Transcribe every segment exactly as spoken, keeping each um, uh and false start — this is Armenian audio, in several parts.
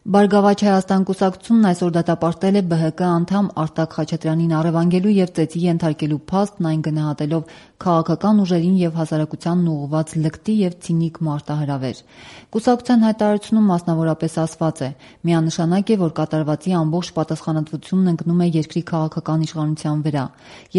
Բարգավաճ Հայաստան կուսակցությունն այսօր դատապարտել է Բ Հ Կ անդամ Արտակ Խաչատրյանին առևանգելու եւ ծեծի ենթարկելու փաստն, այն գնահատելով քաղաքական ուժերին եւ հասարակությանն ուղղված լկտի եւ ցինիկ մարտահրավեր։ Կուսակցության հայտարարությունում մասնավորապես ասված է. միանշանակ է, որ կատարվածի ամբողջ պատասխանատվությունն ընկնում է երկրի քաղաքական իշխանության վրա։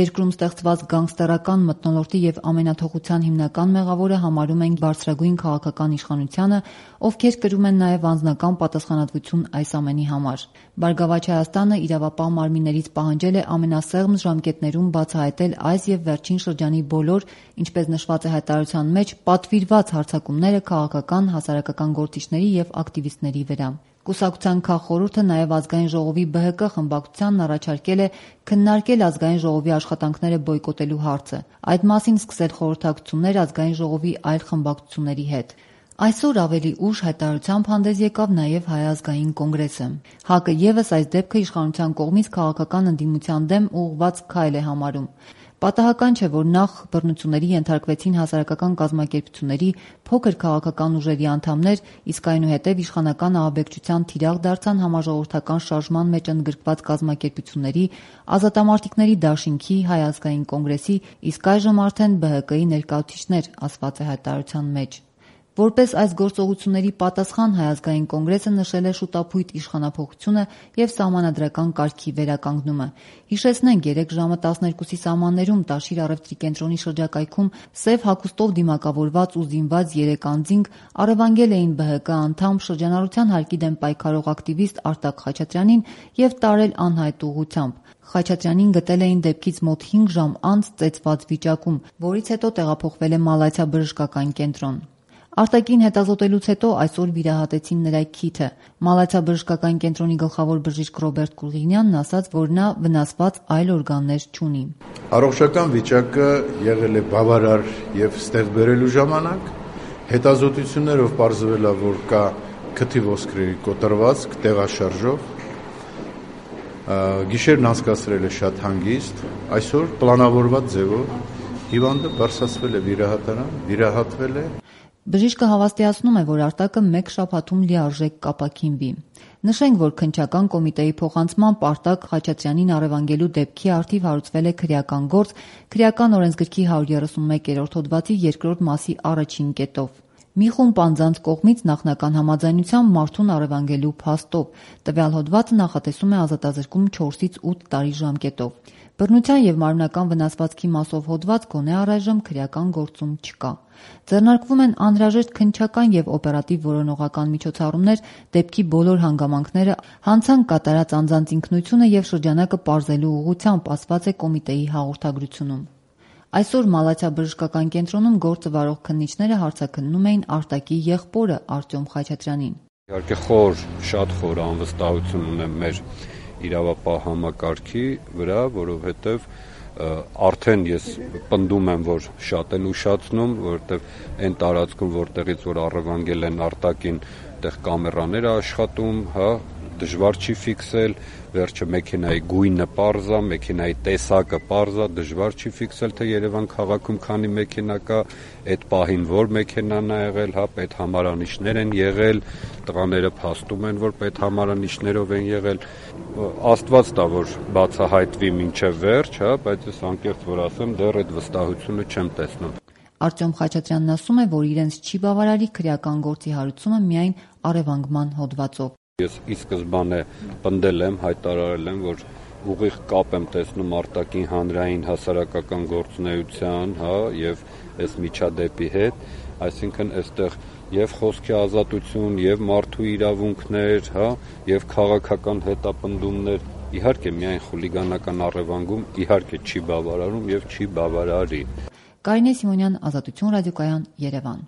Երկրում ստեղծված գանգստերական մթնոլորտի եւ ամենաթողության հիմնական մեղավորը համարում են բարձրագույն քաղաքական իշխանությանը, ովքեր կրում են նաեւ անձնական պատասխանատվություն այս ամենի համար։ Բարգավաճ Հայաստանը իրավապահ մարմիններից պահանջել է ամենասեղմ ժամկետներում բացահայտել այս եւ վերջին շրջանի բոլոր, ինչպես նշված է հայտարարության մեջ, պատվիրված հարձակումները քաղաքական, հասարակական գործիչների եւ ակտիվիստների վրա։ Կուսակցության քաղխորհուրդը նաև Ազգային ժողովի Բ Հ Կ խմբակցությանն առաջարկել է քննարկել Ազգային ժողովի աշխատանքները բոյկոտելու հարցը, այդ մասին սկսել խորհրդակցություններ Ազգային ժողովի այլ խմբակցությունների հետ։ Այսօր ավելի ուշ հայտարարությամբ հանդես եկավ նաև Հայ ազգային կոնգրեսը։ Հ Կ-ը ևս այս դեպքը իշխանության կողմից քաղաքական ընդդիմության դեմ ուղղված քայլ է համարում։ Պատահական չէ, որ նախ բռնությունների ենթարկվեցին հասարակական կազմակերպությունների, փոքր քաղաքական ուժերի անդամներ, իսկ այնուհետև իշխանական ահաբեկչության թիրախ դարձան համաժողովրդական շարժման մեջ ընդգրկված կազմակերպությունների, Ազատամարտիկների դաշինքի, Հայ ազգային կոնգրեսի, իսկ այժմ արդեն Բ Հ Կ-ի ներկայացուցիչներ, ասված է հայտարարության մեջ։ Որպես այս գործողությունների պատասխան Հայ ազգային կոնգրեսը նշել է շուտափույթ իշխանափոխությունը եւ սահմանադրական կարգի վերականգնումը։ Հիշեցնենք, երեկ ժամը տասներկուսի սահմաններում Տաշիր առևտրի կենտրոնի շրջակայքում սև հագուստով դիմակավորված ու զինված երեք անձինք առևանգել էին Բ Հ Կ անդամ շրջանառության հարկի դեմ պայքարող ակտիվիստ Արտակ Խաչատրյանին եւ տարել անհայտ ուղղությամբ։ Խաչատրյանին գտել էին դեպքից մոտ հինգ ժամ անց ծեծված վիճակում, որից հետո տեղափոխվել է Մալաթիա բժշկական կենտրոն։ Արտակին հետազոտելուց հետո այսօր վիրահատեցին նրա քիթը։ Մալաթիա բժշկական կենտրոնի գլխավոր բժիշկ Ռոբերտ Կուլղինյանն ասաց, որ նա վնասված այլ օրգաններ չունի։ Առողջական վիճակը եղել է բավարար եւ ստեղ բերելու ժամանակ, հետազոտություններով պարզվել է, որ կա քթի ոսկրերի կոտրվածք տեղաշարժով, գիշերն անցկացրել է շատ հանգիստ, այսօր պլանավորված ձևով հիվանդը բարձրացվել է վիրահատարան, վիրահատվել է։ Բժիշկը հավաստիացնում է, որ Արտակը մեկ շաբաթում լիարժեք կապաքինվի։ Նշենք, որ քննչական կոմիտեի փոխանցմամբ Արտակ Խաչատրյանին առևանգելու դեպքի առթիվ հարուցվել է քրեական գործ Քրեական օրենսգրքի հարյուր երեսունմեկերորդ հոդվածի երկրորդ մասի առաջին կետով։ Մի խումբ անձանց կողմից նախնական համաձայնությամբ մարդուն առևանգելու փաստով։ Տվյալ հոդվածը նախատեսում է ազատազրկում չորսից ութ տարի ժամկետով։ Բռնության եւ մարմնական վնասվածքի մասով հոդված գոնե առայժմ քրեական գործում չկա։ Ձեռնարկվում են անհրաժեշտ քննչական եւ օպերատիվ որոնողական միջոցառումներ դեպքի բոլոր հանգամանքները, հանցանք կատարած անձանց ինքնությունը եւ շրջանակը պարզելու ուղղությամբ, ասված է կոմիտեի հաղորդագրությունում։ Այսօր Մալաթիա բժշկական կենտրոնում գործը վարող քննիչները հարցաքննում էին Արտակի եղբորը Արտյոմ Խաչատրյանին։ Իհարկե խոր, շատ խոր անվստահություն ունեմ մեր իրավապահ համակարգի վրա, որովհետև արդեն ես պնդում եմ, որ շատ են ուշացնում, որովհետև այն տարածքում, որտեղից որ առևանգել են Արտակին, այդտեղ կամերաներ է աշխատում, հա, դժվար չի ֆիքսել, վերջը մեքենայի գույնը պարզ է, մեքենայի տեսակը պարզ է, դժվար չի ֆիքսել, թե Երևան քաղաքում քանի մեքենա կա, այդ պահին որ մեքենան է եղել, հա, պետհամարանիշներ են եղել, տղաները փաստում են, որ պետհամարանիշներով են եղել, Աստված տա, որ բացահայտվի մինչև վերջ, հա, բայց ես անկեղծ որ ասեմ, դեռ այդ վստահությունը չեմ տեսնում։ Արտյոմ Խաչատրյանն ասում է, որ իրենց չի բավարարի քրեական գործի հարուցումը միայն առևանգման հոդվածով։ Ես ի սկզբանե պնդել եմ, հայտարարել եմ, որ ուղիղ կապ եմ տեսնում Արտակին հանրային հասարակական գործունեության, հա, եւ այս միջադեպի հետ, այսինքն այստեղ եւ խոսքի ազատություն, եւ մարդու իրավունքներ, հա, եւ քաղաքական հետապնդումներ, իհարկե միայն խուլիգանական առևանգում իհարկե չի բավարարում եւ չի բավարարի։ Կարինե Սիմոնյան, Ազատություն ռադիոկայան, Երևան։